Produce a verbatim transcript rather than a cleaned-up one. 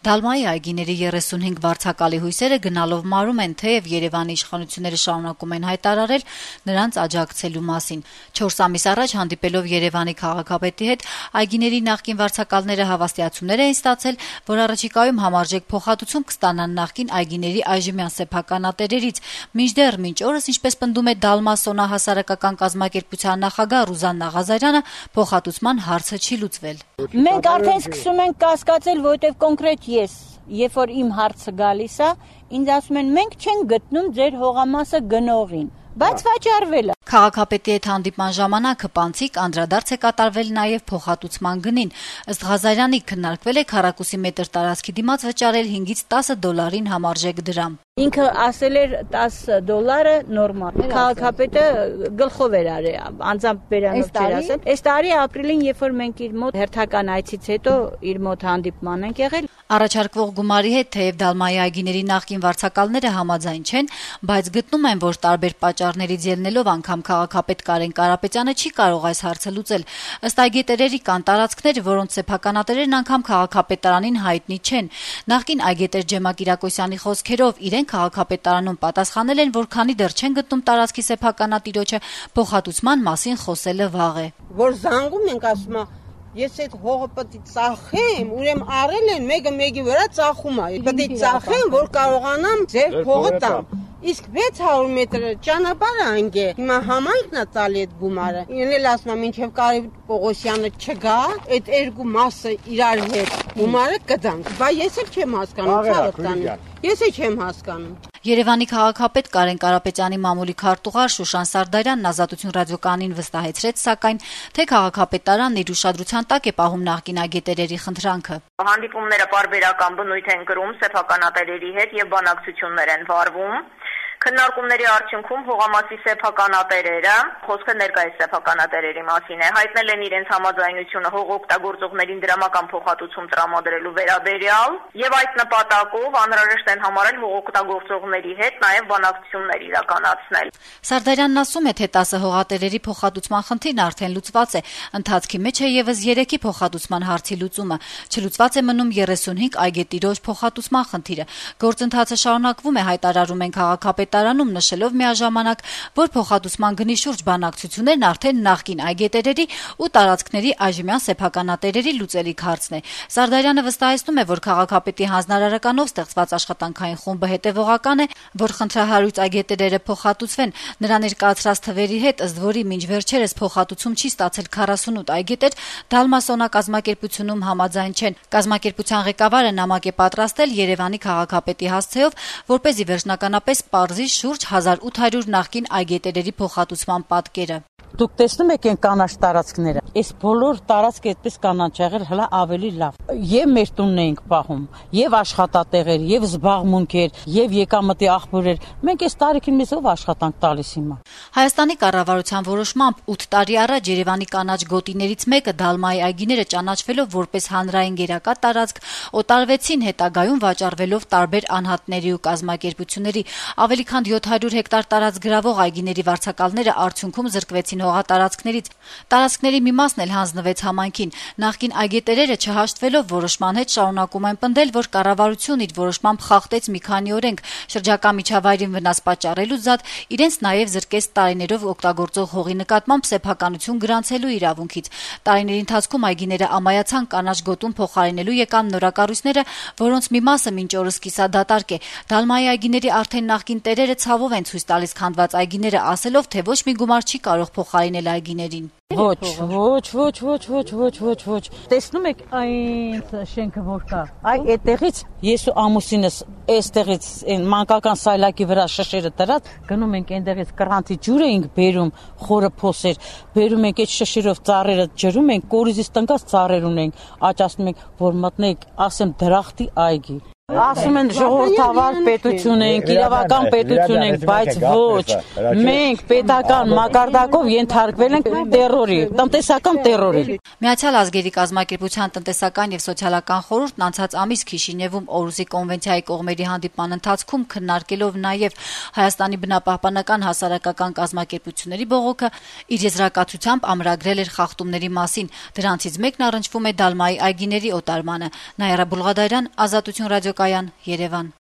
Դալմայի այգիների երեսունհինգ վարձակալի հույսերը գնալով մարում են, թեև Երևանի իշխանությունները շարունակում են հայտարարել նրանց աջակցելու մասին։ Չորս ամիս առաջ հանդիպելով Երևանի քաղաքապետի հետ, այգիների նախկին վարձակալները հավաստիացումներ էին ստացել, որ առաջիկայում համարժեք փոխհատուցում կստանան նախկին այգիների այժմյան սեփականատերերից, մինչդեռ մինչ օրս, ինչպես պնդում է Դալմա Սոնա հասարակական կազմակերպության նախագահ Ռուզաննա Ղազարյանը, փոխհատուցման հարցը չի լուծվել։ Մենք արդեն սկսում ենք կասկածել, որովհետև կոնկրետ ես, երբ որ իմ հարցը գալիս է, ինձ ասում են մենք չենք գտնում ձեր հողամասը գնողին, բայց վաճառվել է։ Քաղաքապետի հետ հանդիպման ժամանակ հպանցիկ անդրադարձ է կատարվել նաև փոխհատուցման գնին։ Ըստ Ղազարյանի քննարկվել է քառակուսի մետր տարածքի դիմաց վճարել հինգից տասը դոլարին համարժեք դրամ։ Ինքը ասել էր տասը դոլարը նորմալ։ Քաղաքապետը գլխով էր արել, անձամբ բերանով չէր ասել։ Այս տարի ապրիլին, երբ որ մենք իր մոտ հերթական այցից հետո իր մոտ հանդիպման ենք եղել, առաջարկվող գումարի հետ թեև Դալմայի այգիների նախկին վարձակալները համաձայն չեն, բայց գտնում են, որ տարբեր պատճառներից ելնելով անգամ քաղաքապետ Կարեն Կարապետյանը չի կարող այս հարցը լուծել։ Ըստ այգետերերի կան տարածքներ, որոնց սեփականատերերն անգամ քաղաքապետարանին հայտնի չեն։ Նախկին այգետեր Ջեմակ Իրակոսյանի խոսքերով իրենք քաղաքապետարանում պատասխանել են, որ քանի դեռ չեն գտնում տարածքի սեփականատիրոջը, փոխհատուցման մասին խոսելը վաղ է։ Որ զանգում ենք, ասում է, ես այդ հողը պետք է ծախեմ, ուրեմն առել են մեկը մեկի վրա ծախում է։ Պետք է ծախեմ, որ կարողանամ ձեր հողը տամ։ Իսկ վեց հարյուր մետր ճանապարհը անգե։ Հիմա համայնքն է տալի այդ գումարը։ Ինքն էլ ասում է, մինչև Կարեն Պողոսյանը չգա, այդ երկու մասը իրար հետ գումարը կդանք։ Բայց ես էլ չեմ հասկանում, ցավտանի։ Ես էլ չեմ հասկանում։ Երևանի քաղաքապետ Կարեն Կարապետյանի մամուլի քարտուղար Շուշան Սարդարյանն Ազատություն ռադիոկայանին վստահեցրեց, սակայն թե քաղաքապետարանն իր ուշադրության տակ է պահում նախկին այգետերերի խնդրանքը։ Հանդիպումները պարբերական բնույթ են կրում սեփականատերերի հետ եւ բանակցություններ են վարվում։ Քննարկումների արդյունքում հողամասի սեփականատերերը, խոսքը ներկայիս սեփականատերերի մասին է, հայտնել են իրենց համաձայնությունը հող օգտագործողներին դրամական փոխհատուցում տրամադրելու վերաբերյալ եւ այդ նպատակով անհրաժեշտ են համարել հող օգտագործողների հետ նաեւ բանակցություններ իրականացնել։ Սարդարյանն ասում է, թե տասը հողատերերի փոխհատուցման խնդիրն արդեն լուծված է, ընթացքի մեջ է եւս երեքի փոխհատուցման հարցի լուծումը, չլուծված է մնում երեսունհինգ այգետիրոջ փոխհատուցման խնդիրը։ Գործընթացը շարունակվում է, հայտարարում են քաղաքապետարանում, նշելով միաժամանակ, որ փոխհատուցման գնի շուրջ բանակցություններն արդեն նախկին այգետերերի ու տարածքների այժմյան սեփականատերերի լուծելիք հարցն է։ Սարդարյանը վստահեցնում է, որ քաղաքապետի հանձնարարականով ստեղծված աշխատանքային խումբը հետևողական է, որ խնդրահարույց այգետերերը փոխհատուցվեն։ Նրա ներկայացրած թվերի հետ, ըստ որի մինչ վերջերս փոխհատուցում չի ստացել քառասունութ այգետեր, Դալմա Սոնա կազմակերպությունում համաձայն չեն։ Կազմակերպության ղեկավարը նամակ է պատրաստել Երևանի քաղաքապետի հասցեով, որպեսզի վերջնականապես պարզի շուրջ հազար ութ հարյուր նախկին այգետերերի փոխհատուցման պատկերը։ Դուք տեսնում եք այն կանաչ տարածքները։ Այս բոլոր տարածքը այդպես կանաչ եղել հլա ավելի լավ։ Եվ մեր տունն էինք պահում, եւ աշխատատեղեր, եւ զբաղմունքեր, եւ եկամտի աղբյուրեր։ Մենք այս տարիքին մեզ ով աշխատանք տալիս հիմա։ Հայաստանի կառավարության որոշմամբ ութ տարի առաջ Երևանի կանաչ գոտիներից մեկը Դալմայի այգիները ճանաչվելով որպես հանրային գերակա տարածք, օտարվեցին, հետագայում վաճառվելով տարբեր անհատների ու կազմակերպությունների։ Ավելի քան յոթ հարյուր հեկտար տարածք գրավող այգիների վարձակալները արդյունքում զրկվեցին հողատարածքներից։ Տարածքների մի մասն էլ հանձնվեց համայնքին։ Նախկին այգետերերը չհաշտվելով որոշման հետ շարունակում են պնդել, որ կառավարությունն իր որոշմամբ խախտեց մի քանի օրենք, շրջակա միջավայրին վնաս պատճառելուց զատ իրենց նաև զրկեց տարիներով օգտագործող հողի նկատմամբ սեփականություն գրանցելու իրավունքից։ Տարիների ընթացքում այգիները ամայացան, կանաչ գոտում փոխարինելու եկան նորակառույցները, որոնց մի մասը մինչ օրս կիսադատարկ է։ Դալմայի այգիների արդեն նախկին տերերը ցավով են ցույց տալիս քանդված այգիները, ասելով, թե ոչ մի գումար չի կարող փոխարինել այգիներին։ Ոչ, ոչ, ոչ, ոչ, ոչ, ոչ, ոչ, ոչ։ Տեսնում եք այն շենքը որ կա։ Այ այդտեղից ես ու ամուսինս այստեղից այն մանկական սայլակի վրա շշերը դրած գնում ենք այնտեղից կրանտի ջուր էինք բերում, խորը փոսեր, բերում ենք այդ շշերով ծառերը ջրում ենք, կորիզից տնկած ծառեր ունենք, աճացնում ենք, որ մտնենք, ասեմ դրախտի այգի։ Ասում են ժողովրդավար պետություն ենք, իրավական պետություն ենք, բայց ոչ։ Մենք պետական մակարդակով ենթարկվել ենք տերորի, տնտեսական տերորի։ Միացյալ ազգերի կազմակերպության տնտեսական եւ սոցիալական խորհուրդն անցած ամիս Քիշինևում Օրուսի կոնվենցիայի կողմերի հանդիպման ընթացքում քննարկելով նաեւ Հայաստանի բնապահպանական հասարակական կազմակերպությունների բողոքը իր եզրակացությամբ ամրագրել էր խախտումների մասին։ Դրանցից մեկն առնչվում է Դալմայի այգիների օտարմանը։ Նաիրա Բուլղադարյան, Ազատություն ռադիոկայան, Երևան։